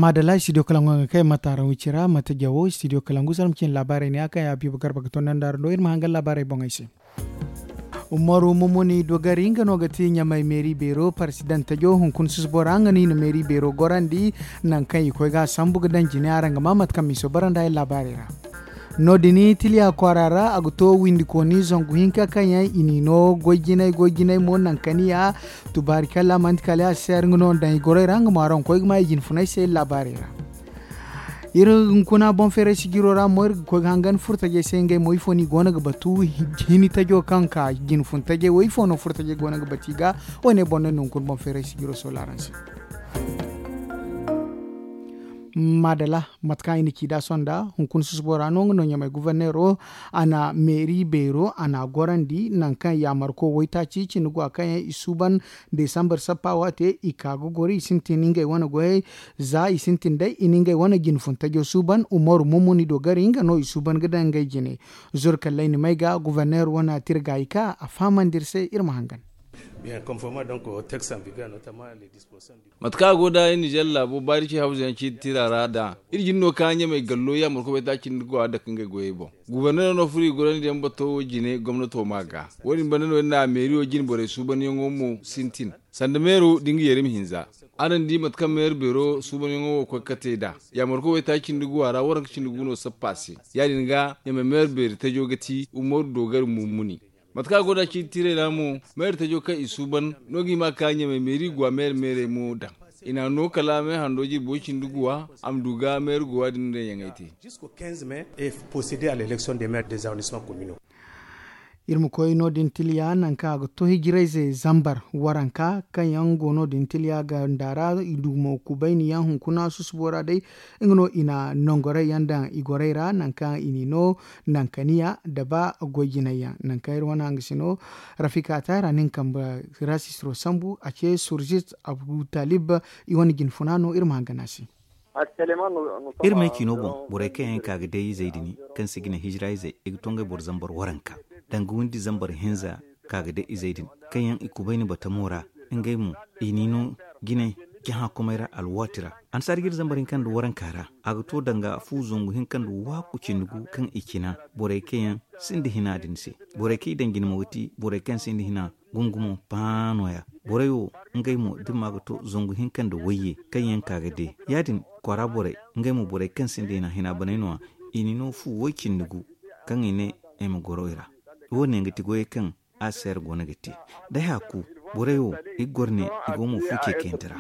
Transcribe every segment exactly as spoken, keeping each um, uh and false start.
Maadala studio kalangu nga kay mataaraŋ wicira mate jawo studio kalangu zarma cine laabaarey ne a kaŋ ya biiba garba ga tondandi araŋ do iri ma hangan laabaarey boŋey se. Umaru mumuni dogari nga no ga ti ɲamay meeri beero parsidantajo hunkuna susubora nga no i na meeri beero gorandi. Nangu kaŋ i koy ga a sambu ga daŋ jine araŋ ga ma mate kaŋ miiso bara nda ay laabaarey ra. No- din tiliya kwaara ra a ga to windikooni zangu hinka kaŋ yaŋ i n'i no goy jinay goy jinay mo nankaniya. Tubaari kalla manti kala ya si seer nga no daŋ i goroy ra nga mo araŋ ga koy ga ma i jinfunay se laabaarey ra. Iri hunkuna boŋ feeray sijiro ra mo iri ga koy ga hangan furtajey se ngey mo ifo no i go no ga batu hini tajo kaŋ ka jinfun tajey wo ifo no furtajey go no ga batu i ga. Wo- ne boŋ no ni hunkuna boŋ feeray sijiro sola araŋ se. Maadala, mate kaŋ i na ci nd'a sohõ nda hunkuna susubo ra no nga no ɲamay guverneero a na meeri beero a na a gorandi nangu kaŋ yaamarko waytaaci cindi go a kaŋ yaŋ i suuban desambar sappa waate i ka ga goro i sintin ngey wane goyey. Za i sintin day i na ngey wane jinfuntajo suuban umaru mumuni dogari nga no i suuban ga daŋ ngey jine. Zurkalley na may ga guverneero wane tirga i ka a fahamandi iri se iri ma hangan. Mate kaŋ a go nd'a iri nizer laabo baari ci hawza yaŋ ciiti tira ra nd'a iri jine no ka ɲamey gallo yaamarko bay taaci nda go a dake ngey goyey boŋ. Guverneero no furo i gorandi yaŋ bato wo jine gomnato ma ga wo- din banda no iri na meeriyo jine borey suubanyaŋo mo sintin sanda meero da nga yeeri ma hinza. Araŋ di mate kaŋ meeri beero suubanyaŋo wo koy ga kate nd'a yaamarko bay taaci nda go a ra waranka cindi gu no sappa se. Ya- din ga ɲamey meeri beeri tajo ga ti umaru doogari mummuni. Mate kaŋ a go nd'a ciiti tiirey ra mo meeri tajo kaŋ i suuban no ga hima ka ɲamey meeri guwa meeri meerey mo daŋ. I n'a no kala meeri hando jirbi way cindi guwa a ma du ga meeri guwa din no day yaŋey te. Jisko kinze me e posede a l'election de meeri dezarrondisement komino. Iri ma koy no- din tiliya nangu kaŋ a ga to hijirayze zambar waranka kaŋ yaŋ go no- din tiliya ganda ra i du mo kubayni yaŋ hunkuna susubo ra day. Nga no i na nongoray yaŋ daŋ i goray ra nangu kaŋ i n'i no nankaniya da ba goy jinay yaŋ nangu kaŋ iri wane hangasino. Rafika tayra nin kambe rasistro sambu a ce surjit abutalib. I wane jinfuna no iri ma hangana se. Iri ma ne ciino boŋ borey kaŋ yaŋ ka ga day izey din kaŋ se ga ne hijira izey i ga to ngey boro zambar waranka danga windi zambar hinza ka ga day izey din kaŋ yaŋ i kubay ni batamo ra. Ngey mo i n'i no jinay cahã komey ra alwaati ra. Annasaara ga iri zambar hinka nda waranka ra a ga to danga fu zangu hinka nda waaku cindi gu kaŋ i cina borey kaŋ yaŋ sinda hina din se. Borey kaŋ i daŋ jina mo ga ti borey kaŋ sinda hina gungumo paano ya. Borey wo ngey mo da ma ga to zangu hinka nda wayye kaŋ yaŋ ka ga de ya- din kwaara borey ngey mo borey kaŋ sinda hina hina baney no- ya. I n'i no fu way cindi gu kaŋ i ne ay ma goro i ra. Wo- ne ga ti goyey kaŋ a seera go no ga te. Day haaku borey wo i ga goro ne i go mo fu ceekayante ra.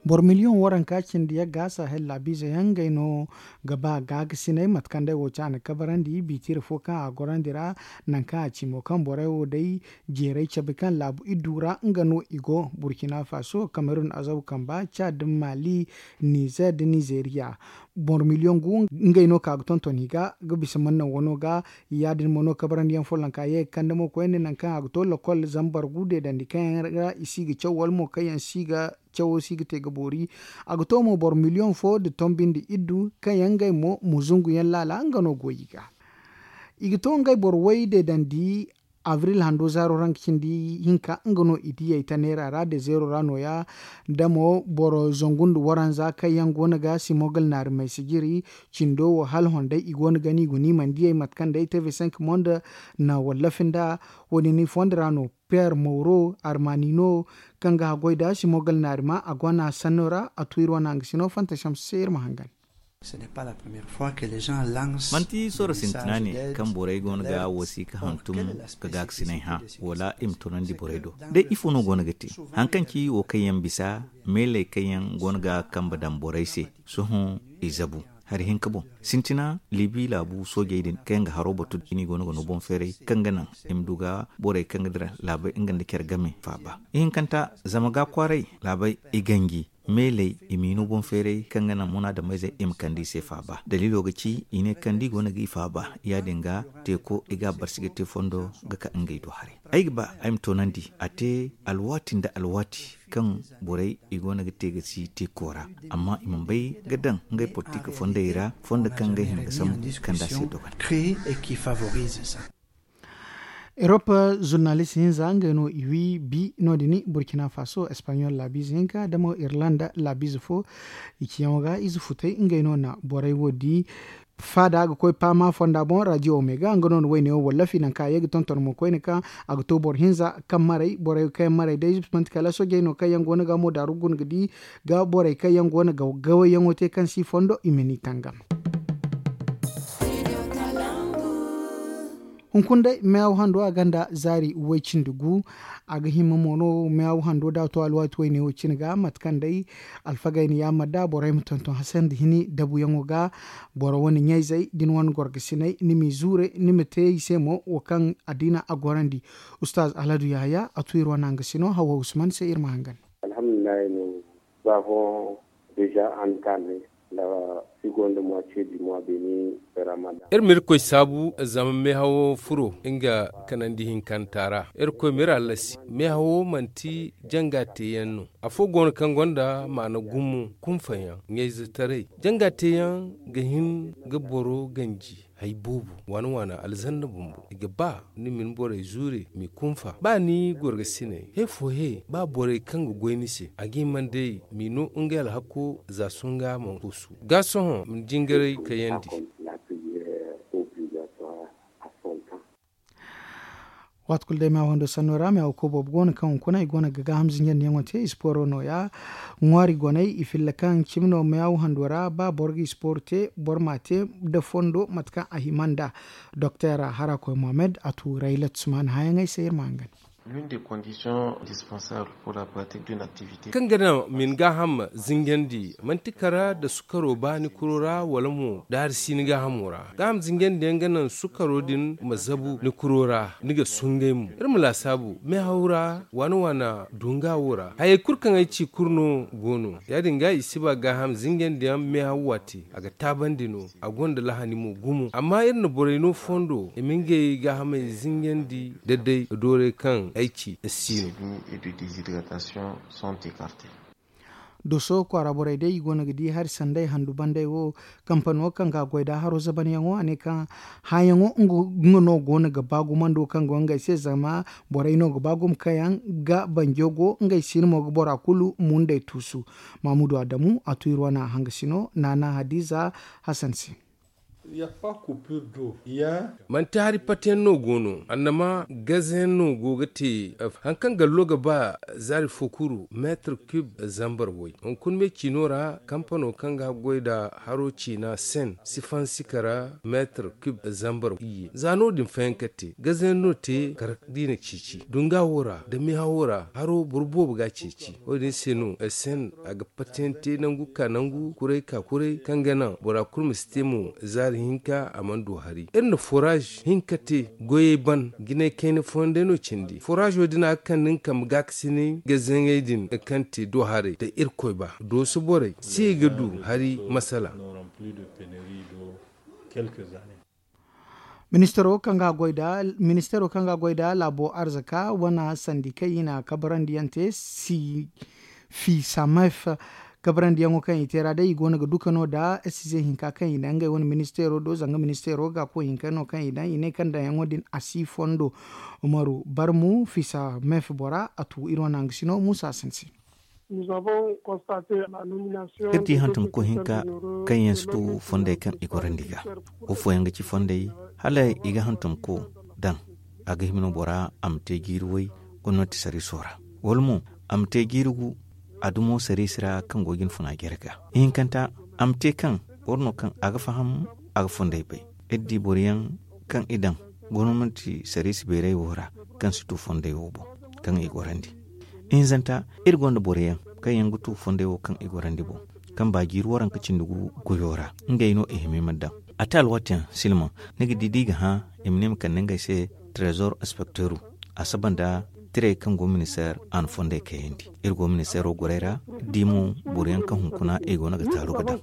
Boro miliyoŋ waranka cindi yagga sahel laabiize yaŋ ngey no ga ba gaagasinay mate kaŋ day wo caana kabarandi biitiire fo kaŋ a gorandi ra. Nangu kaŋ a ci mo kaŋ borey wo day jeeray cabe kaŋ laabu iddu ra nga no i go burkina faso kamerun azabu kamba cad mali nizer da nizeriya. Boro miliyoŋ gu ngey no ka ga tonton i ga ga bisa mannaŋ wano ga. Ya- din mo no kabarandiyaŋ follonka ye ga kande mo koyne nangu kaŋ a ga to lokol zambar gu deedandi kaŋ yaŋ ra i si ga caw wala mo kaŋ yaŋ si ga cawo si ga te ga boori. A ga to mo boro miliyoŋ fo nda tombi nda iddu kaŋ yaŋ ngey mo muzungu yaŋ laala nga no go i ga. I ga to ngey boro way deedandi abril hando zaaro ra nga cindi hinka nga no i diyey ta neera ra de zeero ra nooya. Da mo boro zangu nda waranza kaŋ yaŋ go no ga simogal naari may sijiri cindo wo hala honday i go no ga no i go no i mana diyey mate kaŋ day tv cinq monde na wallafi nda. Wo- din i fondo ra no piyer mawro armani no kaŋ ga haggoy nda simogal naari ma a go no a sanno ra a tu iri wane hangasino fanta samse se iri ma hangan. Manti soro sintina ne kaŋ borey go no ga wasiika hantum ga gaakasinay hã wala i ma tunandi borey do? Day ifo no go no ga te haŋ kaŋ ci wo kaŋ yaŋ bisa meeley kaŋ yaŋ go no ga kambe daŋ borey se? Sohõ i zabu hari hinka boŋ sintina libi laabu soojey din kaŋ yaŋ ga haro batu da i go no ga no boŋ feeray kaŋ ga naŋ i ma du ga borey kaŋ ga dira laabey nga nda care game faaba. Ihinkanta zama ga kwaaray laabey i ganji meeley i m'i no boŋ feeray kaŋ ga naŋ munaadameyzey i ma kande i se faaba daliilo ga ci i ne kaŋ da i go no ga i faaba ya- din ga teeko i ga a barsi ga te fondo ga ka ngey do haray. Ay ga ba ay ma toonandi a te alwaati nda alwaati kaŋ borey i go no ga te ga si teeko ra amma i mana bay ga daŋ ngey politik fondey ra fondo kaŋ ngey hima ga sambu kaŋ da a se dogon. Créer et qui favorise ça. Erop zurnalist hinza ngey no i wi bi no- din burkina faso espagnol laabiize hinka damo irlanda laabiize fo. I ciyaŋo ga ize futay ngey no na borey wo di. Faada ga koy paama fonda boŋ radio omega nga no na wayne wo wallafi nanka a ye ga tonton mo koyne kaŋ a ga to boro hinza kaŋ maray borey kaŋ yaŋ maray day manti kala sojey no kaŋ yaŋ go no ga mo daaru guna ga di ga borey kaŋ yaŋ go no ga gawayyaŋo te kaŋ si fondo i ma ni tangam. Hunkuna day meyaw hando a gonda zaari way-cindi gu. A ga hima mo no meyaw hando da a to alwaati wayne wo cine ga mate kaŋ day alfagey na yaamar nd'a borey ma tonton hasandi hini dabuyaŋo ga. Boro wane ɲayzey da ni wane gorgasiney ni m'i zuure ni ma te i se mo wo kaŋ addiina a gorandi. Ustaaz alhadu yahaya a tu iri wane hangasino hawa usman se iri ma hangan. Alhamdulillahi no ba fo deja an ka ne da si gonda mwa ce di mwa beni. Ramadan. Iri ma irkoy saabu zama meehawo furo nga kanandi hinkanta ra. Irkoy ma iri hallasi meehawo manti janga teeyaŋ no. Afo go no kaŋ gonda maana gumo kunfayaŋ ɲayzetaray janga teeyaŋ ga hin ga boro ganji. Hay boobo waana waana alzanna bumbo i ga ba ni ma ni borey zuure m'i kunfa ba ni gorgasiney he fo he ba borey kaŋ ga goy ni se a ga hima nd'ey m'i no ngey alhakko za sohõ nga a mana koosu ga sohõ ma ni jingaray kayandi. Waati kulu day meyaw hando sanno ra meyaw koy boobo go no kaŋ hunkuna i go no ga gaaham zinjandiyaŋo te isporo nooya. Ŋwaari goney i filla kaŋ cimi no meyaw hando ra ba boro ga isporo te boro m'a te nda fondo mate kaŋ a hima nd'a. Doktor harakoy mohammed a tu raylat suman hããyaŋey se iri ma hangan. L'une des conditions indispensables pour la pratique d'une activité. Kaŋ ga naŋ ma ni gaaham zinjandi manti kara nda sukaro ba ni kuro ra wala mo daari si ni gaahamo ra. Gaaham zinjandi yaŋ ga naŋ sukaro din ma zabu ni kuro ra ni ga sungay mo iri ma laasaabu meehaw ra waana waana dunga wo ra hayey kulu kaŋ ay ci kulu no go no. Ya- din ga i si ba gaaham zinjandi yaŋ meehaw waati a ga taabandi no. A gonda lahani mo gumo amma iri na borey no fondo i ma ngey gaahamey zinjandi da day doorey kaŋ ay ci si no. Doso kwaara borey day i go no ga di hari sanday handu banday wo. Kampano kaŋ ga a goy nda haro zabanyaŋo a ne kaŋ hããyaŋo nga no go no ga ba gumando kaŋ go ngey se zama borey no ga ba gumo kaŋ yaŋ ga banjo go ngey siino mo ga bora kulu mundey tuusu. Mamudu adamu a tu iri wane hangasino naana hadiza hasan se. Manti hari pati yaŋ no go no annama gaze yaŋ no go ga te. Hari kaŋ gallo ga ba zaari fo kuru meetar kub zambar way hunkuna me ciino ra kampano kaŋ ga goy nda haro ciina sen si fansi kara meetar kub zambar iyye za no- din fayanka te gaze yaŋ no te kara da i na ceeci dunga wo ra nda meehawo ra haro boro boobo ga a ceeci. Wo- din se no sen a ga pati yaŋ te nangu ka nangu kuray ka kuray kaŋ ga naŋ bora kulu ma si te mo zaari hinka a mana du hari iri na foraaz hinka te goyey ban jinay kayna fooyaŋ day no cindi foraazo din a ga kande nga kambe gaakasinay ga zaŋey din kaŋ te do haray nda irkoy ba dooso borey si i ga du hari masala. Ministaro kaŋ ga a goy nda ministaro kaŋ ga a goy nda laabo arzaka wane sandi kaŋ i na kabarandi yaŋ te si fiisamef kabarandiyaŋo kaŋ i te ra day i go no ga duka no nda size hinka kaŋ i daŋ ngey wane ministeero do zanga ministeero ga koy hinka no kaŋ i daŋ i ne kaŋ daŋyaŋo din a si fondo. Umaru barmu fiisamef bora a tu iri wane hangasino muusa sinsi. Iri di hantumko hinka kaŋ yaŋ si tu fondey kaŋ i gorandi ga wo fooyaŋ ga ci fondey hala i ga hantumko daŋ a ga hima no bora a ma te jiiri way gomnati sariiso ra wala mo a ma te jiiri gu a dumo sariisi ra kaŋ go ga ni funa jare ga ihinkanta a ma te kaŋ boro no kaŋ a ga faham a ga fondey bay iri di boro yaŋ kaŋ i daŋ gomnati sariisi beeray wo ra kaŋ si tu fondey wo boŋ kaŋ i gorandi ihinzanta iri gonda boro yaŋ kaŋ yaŋ ga tu fondey wo kaŋ i gorandi boŋ kaŋ ba jiiri waranka cindi gu goyo ra ngey no i hima i ma daŋ a te alwaati yaŋ silma ni ga di da i ga hã i ma ne ma kande ngey se trésor inspecteuru a saba nda tirey kaŋ go ministeer a na fondey kayandi iri go ministeero gorey ra di mo boro yaŋ kaŋ hunkuna i go no ga taaru ga daŋ.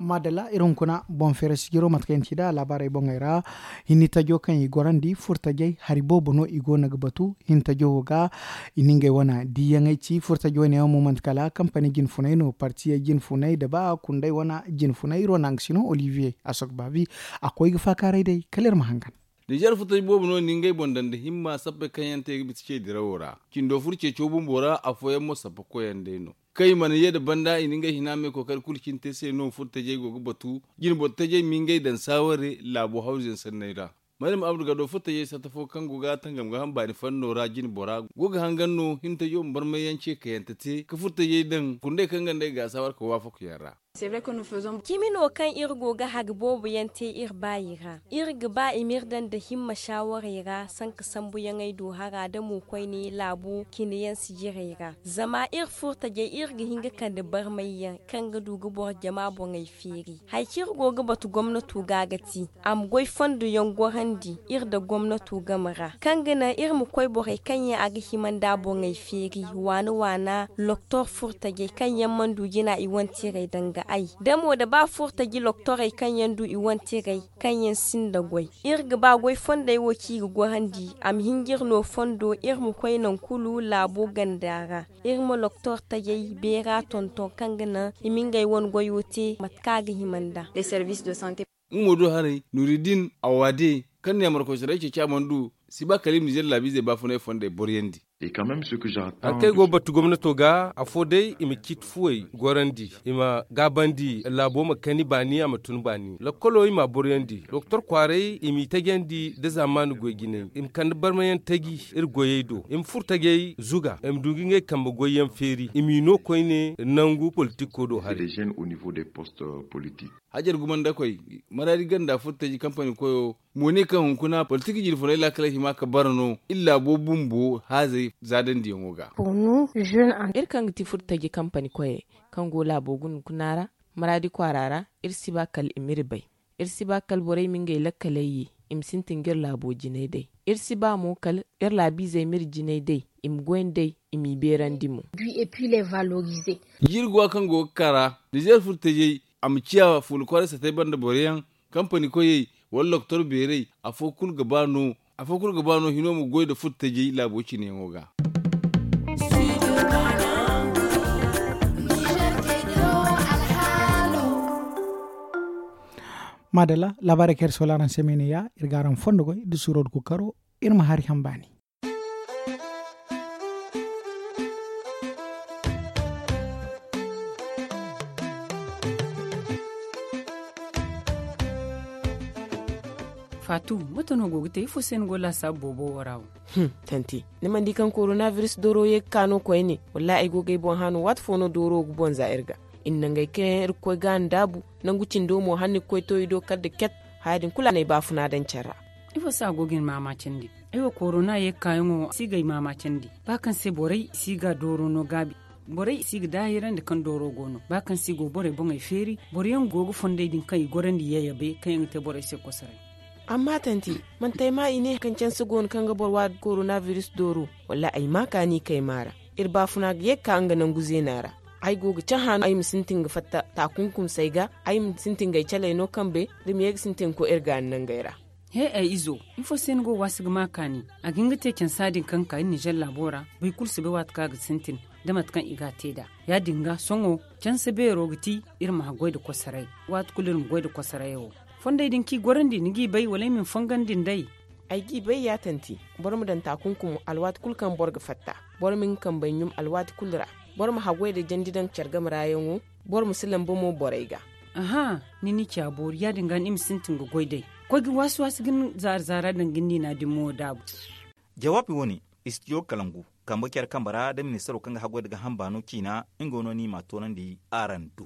Maadalla, iri hunkuna boŋ feera sijiro mate kaŋ yaŋ ti nd'a laabaarey boŋey ra. Hinni tajo kaŋ i gorandi furtajey hari boobo no i go no ga batu. Hinni tajo wo ga i na ngey wane diiyaŋey ci furtajo wane yaŋ mo manti kala kampani jinfunay no partiyey jinfunay nda ba kunday wane jinfunay iri wane a ga si no olivier a sogo baabi. A koy ga faakaaray day kala iri ma hangan. Nizer furtaji boobo no i na ngey boŋ daŋ nda himma sappey kaŋ yaŋ te ga bisa ce dirawo ra cindo furo ceeco bumbo ra afooyaŋ mo sappa koyyaŋ day no. Kaŋ i mana ye nda banda i na ngey hina me kookari kulu cine te se no furtajey go ga batu. Jine boro tajey ma ngey daŋ saaware laabo hawzuyaŋ sanney ra. Maryam abdu gado furtajey satta fo kaŋ go ga tangam ga ham baani fanno ra jine bora go ga hangan no hintajey ma barmayyaŋ ce kayante te ka furtajey daŋ kundey kaŋ ga nd'ey ga saawar ka waafaku yaŋ ra. Cimi no kaŋ iri go ga hari boobo yaŋ te iri baayi ra. Iri ga ba i m'iri daŋ nda himma shaawarey ra sanka sambuyaŋey do hara da mo koyne laabo cine yaŋ sijirey ra. Zama iri furtajey iri ga hin ga kande barmayyaŋ kaŋ ga du ga boro jama boŋey feeri. Hari kaŋ iri go ga batu gomnato ga ga ti a ma goy fondo yaŋ gorandi iri nda gomnato game ra kaŋ ga naŋ iri ma koy borey kaŋ yaŋ a ga hima nd'a boŋey feeri waana waana loktor furtajey kaŋ yaŋ mana du jina i wanteerey daŋ ga ay da mo da ba furtaji loktorey kaŋ yaŋ du i wanteerey kaŋ yaŋ sinda goy. Iri ga ba goy fondey wo kaŋ i ga gorandi a ma hin ga iri no fondo iri ma koy nangu kulu laabo ganda ra. Iri ma loktor tajey beera tonton kaŋ ga naŋ i ma ngey wane goyo te mate kaŋ a ga hima nd'a. Nga mo do haray nuridin awade kaŋ ne a markoy soray ceeci a mana du si ba kala i ma nizer laabiizey baafunay fondey boroyandi. Hari kaŋ ay go ga batu gomnato ga afo day i ma ciiti fuwey gorandi i ma gaabandi laabo ma kani baani a ma tun baani lakkolo i m'a boroyandi doktor kwaaray i m'i tajandi nda zaamaani goy jinay i ma kande barmayaŋ taji iri goyey do i ma furo tajey zuga i ma du ga ngey kambe goyyaŋ feeri i m'i no koyne nangu politikko do haray. Hajar gumandakoy maraadi ganda furtaji kampani koyo mo ne kaŋ hunkuna politik jirfunay laakaley hima ka bara no iri laabo bumbo haazey zaadandiyaŋo ga. Iri kaŋ ga ti furtaji kampani koyey kaŋ go laabo guna kuna ra maraadi kwaara ra iri si ba kala i m'iri bay. Iri si ba kala borey ma ngey lakkaley ye i ma sintin ga iri laabo jinay day. Iri si ba mo kala iri laabiizey m'iri jinay day i ma goy nd'ey i m'i beerandi mo. Jiiri guwa kaŋ go ga kaa ra nizer furtajey a ma ciya fuula kwaaray satey banda boroyaŋ kampani koyey wala loktor beerey afo kulu ga ba no hino ma goy nda furtajey laabo cineyaŋo ga. Maadalla laabaarey kaŋ iri soola araŋ se me ne ya iri ga araŋ fondo goy nda suuro nda kookaro. Iri ma hari ham baani. Faatu, mate no go ga te ifo se ni go laasaabu boobo wo ra wo? Tanti, ni mana di kaŋ korona biris dooro ye ga ka no koyne? Wallaahi ay go ga ay boŋ hã no waati fo no dooro wo ga boŋ za iri ga. Iri na ngey kaŋ yaŋ iri ga koy ga a ndaabu nangu cindo mo hala ni ga koy to i do kala da ket. Haya din kulu a na ay baafuna daŋ care ra. Ifo se a go ga ni maamaacandi? Ay wo korona ye ga kaayaŋo si ga ay maamaacandi ba kaŋ se borey si ga dooro no gaabi. Borey si ga daahirandi kaŋ dooro go no ba kaŋ se i go borey boŋey feeri. Boroyaŋ go ga fondey din kaŋ i gorandi yayabey kaŋ yaŋ ga te borey se kosoray. Amma tanti, manti ay maa i ne kaŋ canse go no kaŋ ga boro waadi korona biris dooro? Wallaahi ay maa kaani kay maa ra. Iri baafuna ga ye ga ka nga nangu zeena ra. Ay go ga cahã no ay ma sintin ga fatta taakunkumsey ga. Ay ma sintin ga ay caley no kambe da ma ye ga sintin ga koy iri gaani nangey ra. He ay izo, ifo se ni go waasi ga maa kaani? A ga hin ga te cansa din kaŋ ga ka iri nizer laabo ra. Boro kulu si bay waati kaŋ a ga sintin da mate kaŋ i ga a te nd'a. Ya- din ga sohõ canse beero ga ti iri ma haggoy nda kosoray. Waati kulu iri ma goy nda kosorayo. Fondey din kaŋ i gorandi ni g'i bay wala ay ma ni fongandi nd'ey? Ay g'i bay ya tanti. Boro ma daŋ taakunkumo alwaati kulu kaŋ boro ga fatta. Boro ma nga kambey ɲum alwaati kulu ra. Boro ma haggoy nda jandi daŋ care game ra yaŋo. Boro ma si lamba mo borey ga. Aha, ni n'i ciya boori ya- din ga ni ma sintin ga goy day. Koy ga waasi waasi ga ni zaara zaara daŋ ga ni niina din mo daabu. Jawaabi wo- ne, istidiyo kalangu kambe care kambe ra da ministaro kaŋ ga haggoy nda gaaham baano ciina. Nga no ni m'a toonandi araŋ do.